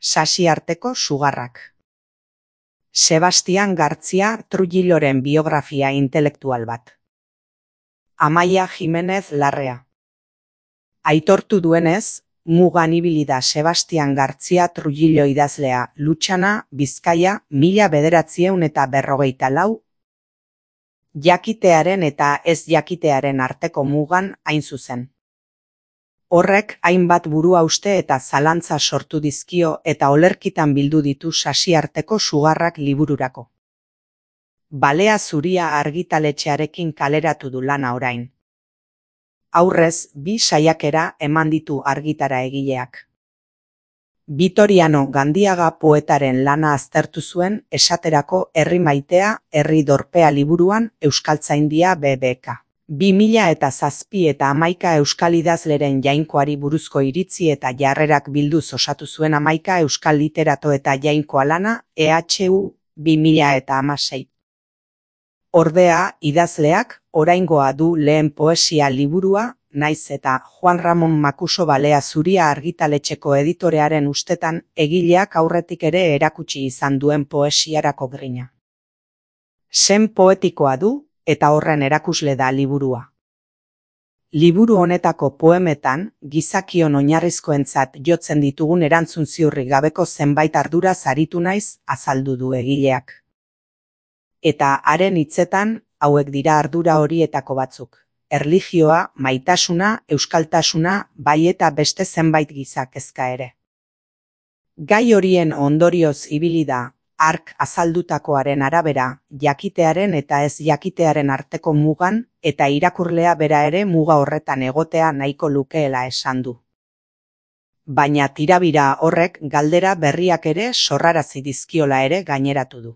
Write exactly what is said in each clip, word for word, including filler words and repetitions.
Sasiarteko sugarrak. Sebastian Gartzia Trujilloren biografia intelektual bat. Amaia Jimenez Larrea. Aitortu duenez, mugan ibili da Sebastian Gartzia Trujillo idazlea Lutxana, Bizkaia, mila bederatziehun eta berrogeita lau, jakitearen eta ez jakitearen arteko mugan hain zuzen. Horrek hainbat buruhauste eta zalantza sortu dizkio eta olerkitan bildu ditu Sasiarteko sugarrak libururako. Balea zuria argitaletxearekin kaleratu du lana orain. Aurrez, bi saiakera eman ditu argitara egileak. Vitoriano Gandiaga poetaren lana aztertu zuen esaterako Herri maitea, herri dorpea liburuan Euskaltzaindia B B K. Bi mila eta zazpi eta hamaika euskal idazleren jainkoari buruzko iritzi eta jarrerak bilduz osatu zuen hamaika euskal literato eta jainkoa lana E H U bi mila eta hamasei. Ordea, idazleak oraingoa du lehen poesia liburua, naiz eta Juan Ramon Makuso Balea zuria argitaletxeko editorearen ustetan egileak aurretik ere erakutsi izan duen poesiarako grina. Sen poetikoa du, eta horren erakusle da liburua. Liburu honetako poemetan, gizakion oinarrizkoentzat jotzen ditugun erantzun ziurri gabeko zenbait ardura aritu naiz azaldu du egileak. Eta haren hitzetan, hauek dira ardura horietako batzuk. Erlijioa, maitasuna, euskaltasuna, bai eta beste zenbait giza kezka ere. Gai horien ondorioz ibili da, hark azaldutakoaren arabera, jakitearen eta ez jakitearen arteko mugan, eta irakurlea bera ere muga horretan egotea nahiko lukeela esan du. Baina tirabira horrek galdera berriak ere sorrarazi dizkiola ere gaineratu du.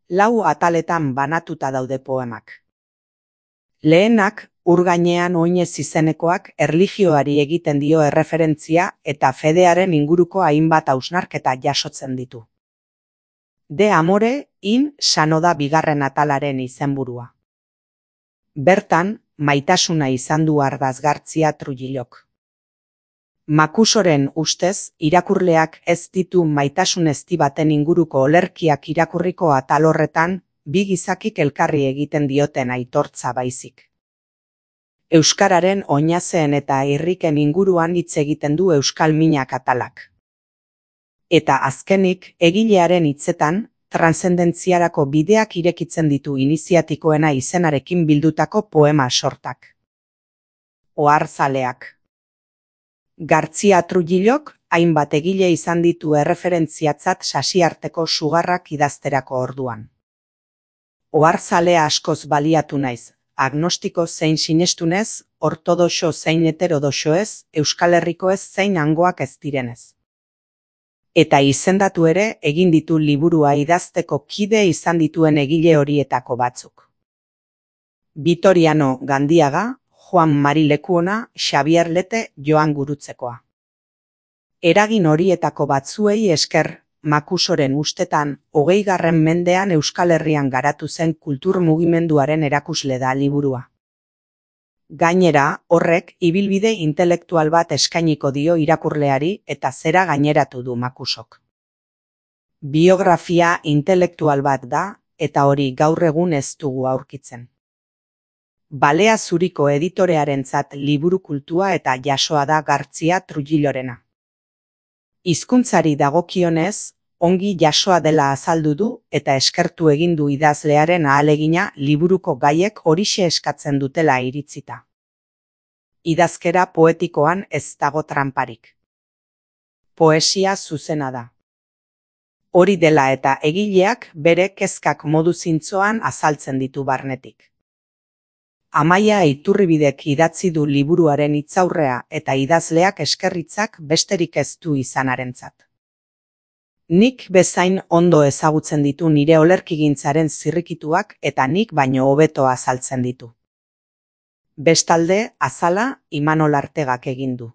Lau ataletan banatuta daude poemak. Lehenak, ur gainean oinez izenekoak erlijioari egiten dio erreferentzia eta fedearen inguruko hainbat hausnarketa jasotzen ditu. De amore in sanoda bigarren atalaren izenburua. Bertan, maitasuna izan du ardaz Gartzia Trujillok. Makusoren ustez, irakurleak ez ditu maitasun ezti baten inguruko olerkiak irakurriko atal horretan, bi gizakik elkarri egiten dioten aitortza baizik. Euskararen oinazeen eta irriken inguruan hitz egiten du euskal minak atalak. Eta azkenik, egilearen hitzetan, transcendentziarako bideak irekitzen ditu iniziatikoena izenarekin bildutako poema sortak. Oharzaleak. Gartzia Trujillok hainbat egile izan ditu erreferentziatzat Sasiarteko sugarrak idazterako orduan. Oharzalea askoz baliatu naiz, agnostiko zein sinestunez, ortodoxo zein heterodoxoez, Euskal Herrikoez zein hangoak ez direnez. Eta izendatu ere egin ditu liburua idazteko kide izan dituen egile horietako batzuk. Vitoriano Gandiaga, Juan Mari Lekuona, Xabier Lete, Joan Gurutzekoa. Eragin horietako batzuei esker, Makusoren ustetan, hogeigarren mendean Euskal Herrian garatu zen kultur mugimenduaren erakusle da liburua. Gainera, horrek ibilbide intelektual bat eskainiko dio irakurleari eta zera gaineratu du Makusok. Biografia intelektual bat da, eta hori gaur egun ez dugu aurkitzen. Balea zuriko editorearentzat liburu kultua eta jasoa da Gartzia Trujillorena. Hizkuntzari dagokionez, ongi jasoa dela azaldu du eta eskertu egin du idazlearen ahalegina liburuko gaiek horixe eskatzen dutela iritzita. Idazkera poetikoan ez dago tranparik. Poesia zuzena da. Hori dela eta egileak bere kezkak modu zintzoan azaltzen ditu barnetik. Amaia Iturribidek idatzi du liburuaren hitzaurrea eta idazleak eskerritzak besterik ez du izanarentzat. Nik bezain ondo ezagutzen ditu nire olerkigintzaren zirrikituak eta nik baino hobeto azaltzen ditu. Bestalde, azala Imanol Artegak egin du.